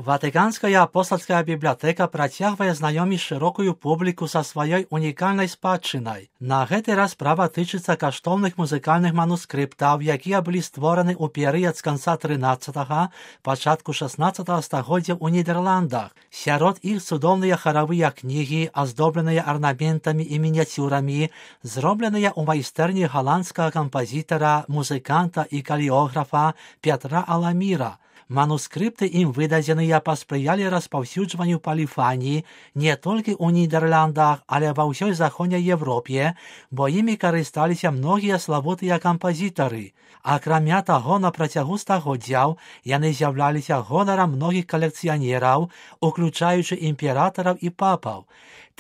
Ватиканская апостольская бібліятэка працягвае знаёміць шырокую публіку са сваёй унікальнай спадчынай. На гэты раз справа тычыцца каштоўных музыкальных манускрыптаў, якія былі створаны ў перыяд з канца 13-га, пачатку 16-го стагоддзя ў Нідерландах. Сярод іх цудоўныя харавыя кнігі, аздобленыя арнаментамі і мініяцюрамі, зробленыя ў майстэрні галандскага кампазітара, музыканта і калеографа Пятра Аламіра. Манускрыпты ім выдадзеныя паспрыялі распаўсюджванню паліфаніі не толькі ў Нідерландах, але ва ўсёй заходняй Европе, бо імі карысталіся многія славутыя кампазітары. Акрамя таго, на працягу стагоддзяў яны з'яўляліся гонарам многіх калекцыянераў, уключаючы імператараў і папаў.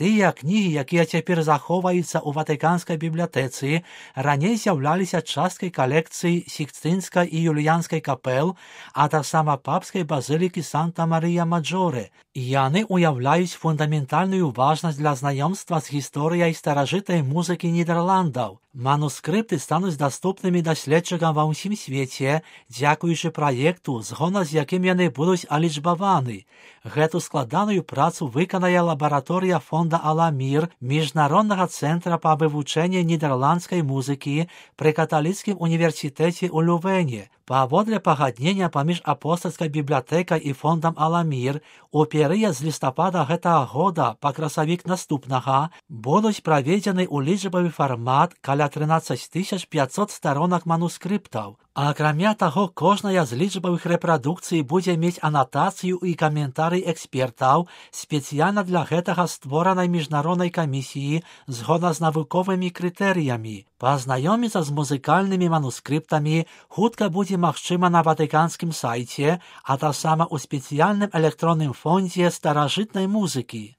Тыя кнігі, якія цяпер захоўваюцца ў Ватыканскай бібліятэцы, раней з'яўляліся часткай калекцыі Сікстынскай і Юліянскай капел, а таксама папскай базылікі Санта-Марыя-Маджоре. Яны ўяўляюць фундаментальную важнасць для знаёмства з гісторыяй старажытнай музыкі Нідерландаў. Манускрыпты стануць даступнымі даследчыкам ва ўсім свеце, дзякуючы праекту, згодна з якім яны будуць алічбаваны. Гэту складаную працу выканае лабараторыя фонда Аламір Міжнароднага цэнтра па вывучэнні нідерландскай музыкі пры каталіцкім універсітэце ў Лювене. Паводле пагаднення паміж апостальскай бібліятэкай і фондам Аламір, у перыяд з лістапада гэтага года па красавік наступнага будуць праведзены ў лічбавы фармат каля 13 500 старонак манускрыптаў. Акрамя таго, кожная з лічбавых рэпрадукцый будзе мець анатацыю і каментарый экспертаў, спецыяльна для гэтага створанай міжнароднай камісіі згодна з навуковымі крытэрыямі. Пазнаёміцца з музыкальнымі манускрыптамі хутка будзе магчыма на ватыканскім сайце, а таксама ў спецыяльным электронным фондзе старажытнай музыкі.